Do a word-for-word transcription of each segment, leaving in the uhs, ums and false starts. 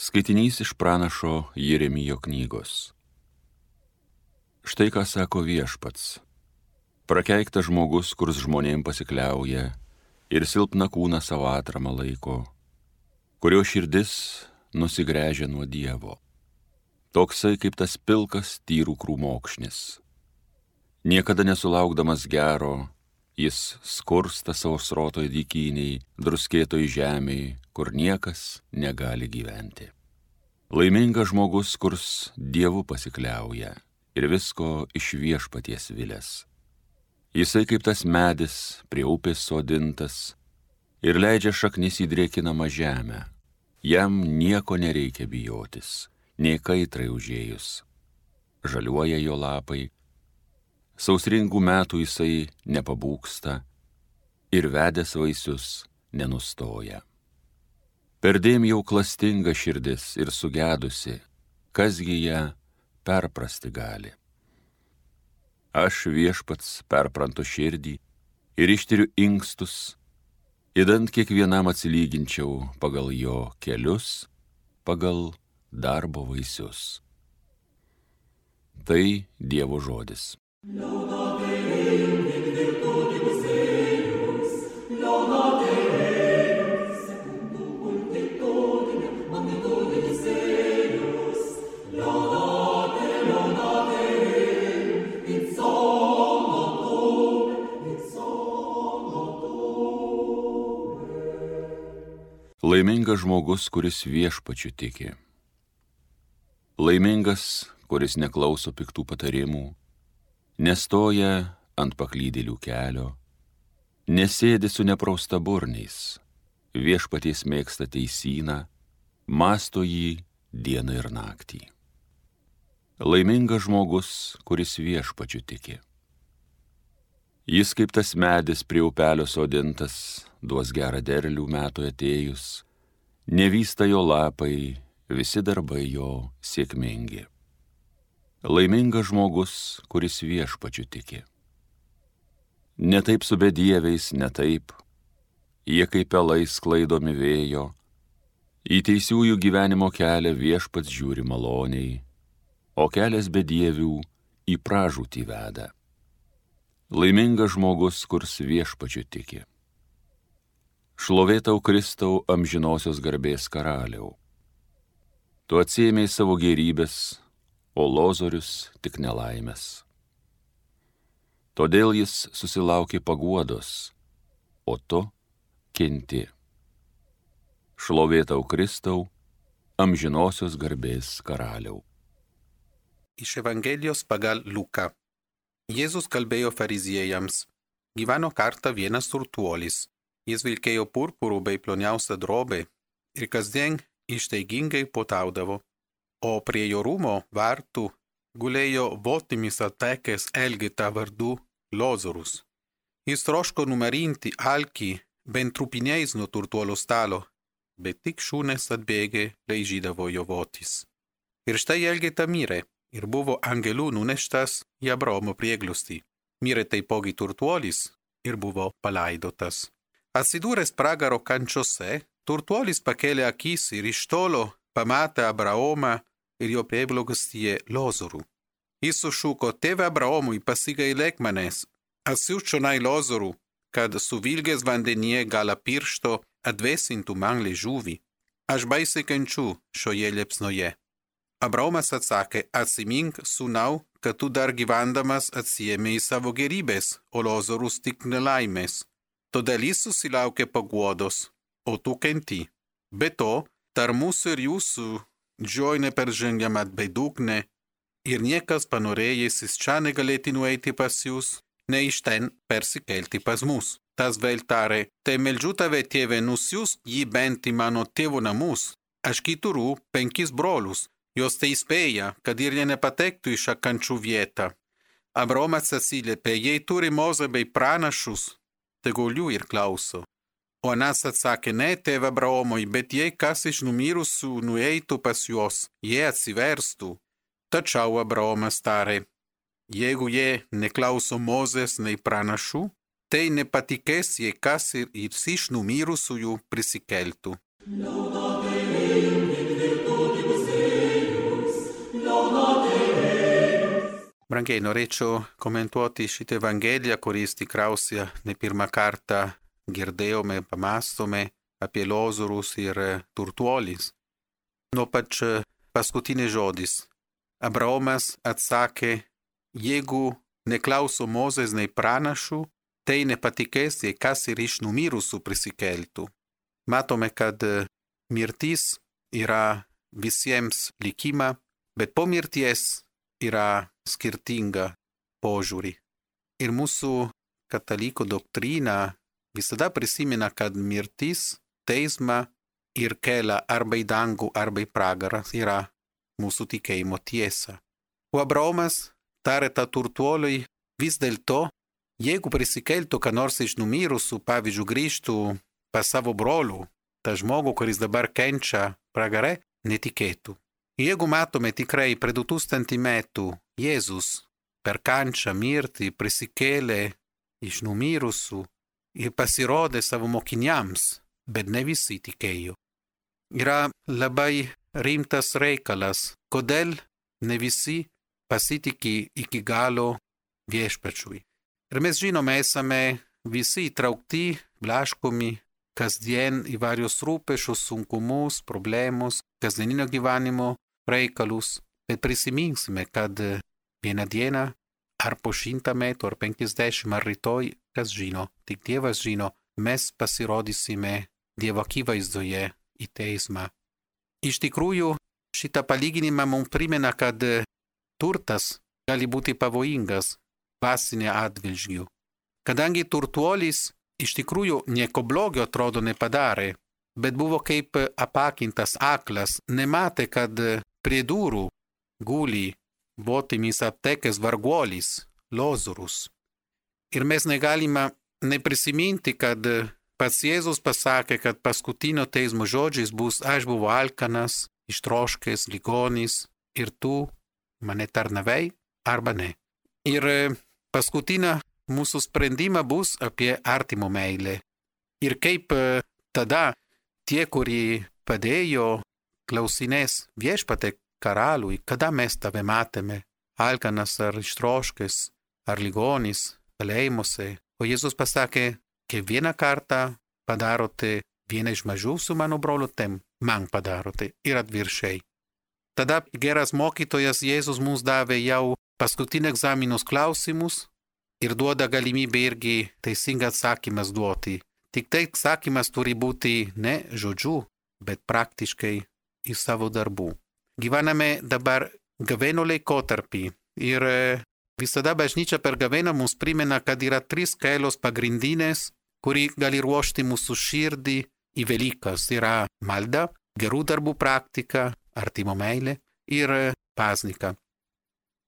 Skaitinys iš pranašo Jeremijo knygos. Štai ką sako Viešpats. Prakeiktas žmogus, kurs žmonėm pasikliauja ir silpną kūną savo atramą laiko, kurio širdis nusigręžia nuo Dievo. Toksai kaip tas pilkas tyrų krūmokšnis. Niekada nesulaukdamas gero, jis skursta savo srotoj dykyniai, druskėtoj žemėj, kur niekas negali gyventi. Laimingas žmogus, kurs Dievu pasikliauja ir visko iš Viešpaties vilės. Jisai kaip tas medis prie upės sodintas ir leidžia šaknis į drėkinamą žemę. Jam nieko nereikia bijotis, nei kaitrai užėjus. Žaliuoja jo lapai, sausringų metų jisai nepabūgsta ir vedęs vaisius nenustoja. Perdėm jau klastinga širdis ir sugedusi, kasgi ją perprasti gali. Aš Viešpats perprantu širdį ir ištiriu inkstus, idant kiekvienam atsilyginčiau pagal jo kelius, pagal darbo vaisius. Tai Dievo žodis. Laimingas žmogus, kuris Viešpačiu tiki. Laimingas, kuris neklauso piktų patarimų, nestoja ant paklydėlių kelio, nesėdi su nepraustaburniais, Viešpaties mėgsta teisyną, mąsto jį dieną ir naktį. Laimingas žmogus, kuris Viešpačiu tiki. Jis kaip tas medis prie upelio sodintas, duos gerą derlių metų atėjus, nevysta jo lapai, visi darbai jo sėkmingi. Laimingas žmogus, kuris Viešpačiu tiki. Ne taip su bedieviais, ne taip, jie kaip pelai sklaidomi vėjo, į teisiųjų gyvenimo kelią Viešpats žiūri maloniai, o kelias bedievių į pražūtį veda. Laimingas žmogus, kurs Viešpačiu tiki. Šlovė tau Kristau amžinosios garbės karaliau. Tu atsiėmei savo gėrybės, o Lozorius tik nelaimės. Todėl jis susilaukė paguodos, o tu kenti. Šlovė tau Kristau amžinosios garbės karaliau. Iš Evangelijos pagal Luką. Jėzus kalbėjo fariziejams. Gyveno kartą vienas turtuolis. Jis vilkėjo purpurų bei ploniausią drobę ir kasdien ištaigingai puotaudavo. O prie jo rūmo vartų gulėjo votimis atekęs Elgeta vardu Lozorus. Jis troško numarinti alkį bent trupiniais nuo turtuolio stalo, bet tik šunės atbėgę laižydavo jo votis. Ir štai Elgeta mirė ir buvo angelų nuneštas į Abraomo prieglobstį. Mirė taipogi turtuolis ir buvo palaidotas. Atsidūręs pragaro kančiose, turtuolis pakėlė akis ir iš tolo pamatė Abraomą ir jo prieglobstyje Lozorų. Jis sušuko: Tėve Abraomui, pasigailėk manęs, atsiųsk čionai Lozorų, kad suvilgęs vandenyje gala piršto atvėsintų man liežuvį. Aš baisiai kenčiu šioje liepsnoje. Abraomas atsakė: Atsimink, sūnau, kad tu dar gyvendamas atsiėmei savo gėrybės, o Lozorus tik nelaimės. Todėl jis susilaukė paguodos, o tu kenti. Be to, tarp mūsų ir jūsų džioji neperžengiama bedugnė, ir niekas panorėjęs iš čia negalėti nueiti pas jūs, ne iš ten persikelti pas mus. Tas vėl tarė: Tai meldžiu tave, tėve, nusiųsk jį bent į mano tėvo namus. Aš turiu penkis brolius, jos tai įspėja, kad ir jie nepatektų į šią kančių vietą. Abraomas atsiliepė: Jei turi Mozę bei pranašus, tegul jų ir klauso. O anas atsakė: Ne, tėve Abraomui, bet jei kas iš numirusių nueitų pas juos, jie atsiverstų. Tačiau Abraomas tarė: Jeigu jie neklauso Mozės nei pranašų, tai nepatikės, jei kas ir iš numirusiųjų prisikeltų. brangiai, norėčiau komentuoti šitą Evangeliją, kuris tikriausiai ne pirmą kartą girdėjome, pamastome apie Lozorius ir turtuolis. Nuo pač paskutinis žodis. Abraomas atsakė, jeigu neklauso Mozės nei pranašų, tai nepatikės, jei kas ir iš numirusių prisikeltų. Matome, kad mirtis yra visiems likima, bet po mirties yra skirtinga požiūrį. Ir mūsų katalikų doktrina visada prisimena, kad mirtis, teisma ir kelia arba į dangų, arba į pragarą yra mūsų tikėjimo tiesa. O Abraomas tarė tą turtuoliui, vis dėlto, jeigu prisikeltų ką nors iš numirusių, pavyzdžiui, grįžtų pas savo brolių, tą žmogų, kuris dabar kenčia pragare, netikėtų. Jeigu matome tikrai prie du tūkstančių metų Jėzus per kančią mirtį prisikėlė iš numirusių ir pasirodė savo mokiniams, bet ne visi tikėjo. Yra labai rimtas reikalas, kodėl ne visi pasitiki iki galo viešpačiui. Ir mes žinome, esame visi įtraukti, blaškomi, kasdien įvairius rūpesčius, sunkumus, problemus, kasdieninio gyvenimo reikalus, bet prisiminsime, kad vieną dieną, ar po šimtą metų, ar penkiasdešimt, ar rytoj, kas žino, tik Dievas žino, mes pasirodysime Dievo akivaizdoje į teismą. Iš tikrųjų, šitą palyginimą mums primena, kad turtas gali būti pavojingas dvasinė atžvilgiu. Kadangi turtuolis iš tikrųjų nieko blogio atrodo nepadarė, bet buvo kaip apakintas aklas, nematė, kad prie durų guli votimis aptekęs varguolis, Lozorius. Ir mes negalime neprisiminti, kad pats Jėzus pasakė, kad paskutinio teismo žodžiais bus aš buvau alkanas, ištroškęs, ligonis ir tu mane tarnavai arba ne. Ir paskutinė mūsų sprendimą bus apie artimo meilę. Ir kaip tada tie, kurie padėjo, klausinės viešpatie karaliui, kada mes tave matėme, alkanas ar ištroškęs, ar ligonis, kalėjimuose. O Jėzus pasakė, kiekvieną kartą padarote vieną iš mažiausių mano brolių, tem man padarote ir atvirkščiai. Tada geras mokytojas Jėzus mums davė jau paskutinį egzaminus klausimus ir duoda galimybę irgi teisingą atsakymas duoti. Tik tai atsakymas turi būti ne žodžiu, bet praktiškai į savo darbų. Gyvename dabar gavėno laikotarpį ir visada bažnyčia per gavėną mums primena, kad yra trys kelios pagrindinės, kuri gali ruošti mūsų širdį į Velykas. Yra malda, gerų darbų praktika, artimo meilė ir pasnika.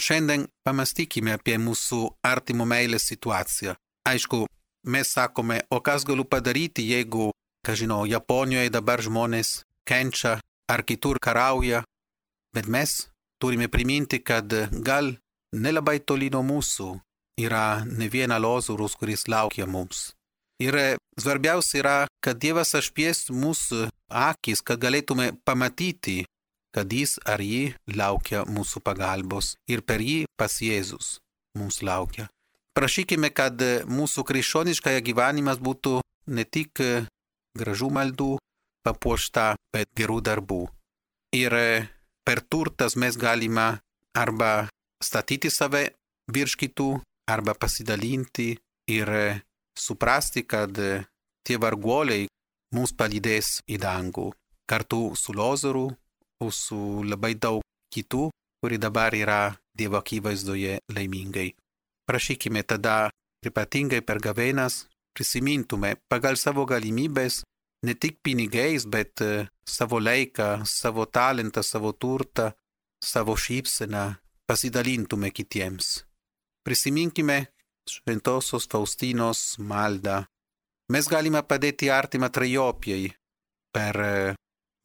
Šiandien pamastykime apie mūsų artimo meilės situaciją. Aišku, mes sakome, o kas galiu padaryti, jeigu, ką žinau, Japonijoje dabar žmonės kenčia ar kitur karauja, bet mes turime priminti, kad gal nelabai toli nuo mūsų yra ne viena Lozorius, kuris laukia mums. Ir svarbiausia yra, kad Dievas apšviestų mūsų akis, kad galėtume pamatyti, kad jis ar ji laukia mūsų pagalbos ir per jį pas Jėzus mums laukia. Prašykime, kad mūsų krikščioniškas gyvenimas būtų ne tik gražų maldų papuošta, bet gerų darbų. Ir per turtas mes galime arba statyti save virš kitų, arba pasidalinti ir suprasti, kad tie varguoliai mums palydės į dangų. Kartu su Lozoriu, o su labai daug kitų, kuri dabar yra Dievo akivaizdoje laimingai. Prašykime tada, ypatingai per gavėnas, prisimintume pagal savo galimybės, ne tik pinigais, bet savo laiką, savo talentą, savo turtą, savo šypseną, pasidalintume kitiems. Prisiminkime šventosios Faustinos maldą. Mes galime padėti artimą trejopijai per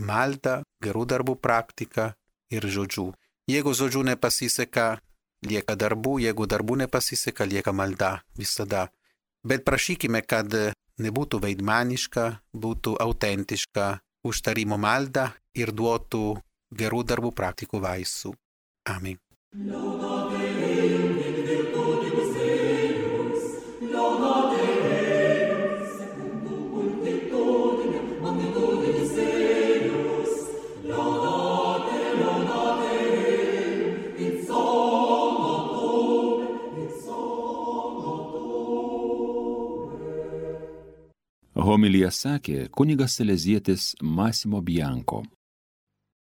maldą, gerų darbų praktiką ir žodžių. Jeigu žodžių nepasiseka, lieka darbų, jeigu darbų nepasiseka, lieka malda visada. Bet prašykime, kad nebūtų veidmaniška, būtų autentiška užtarimo malda ir duotų gerų darbų praktikų vaisių. Amen. Homiliją sakė kunigas salezietis Massimo Bianco.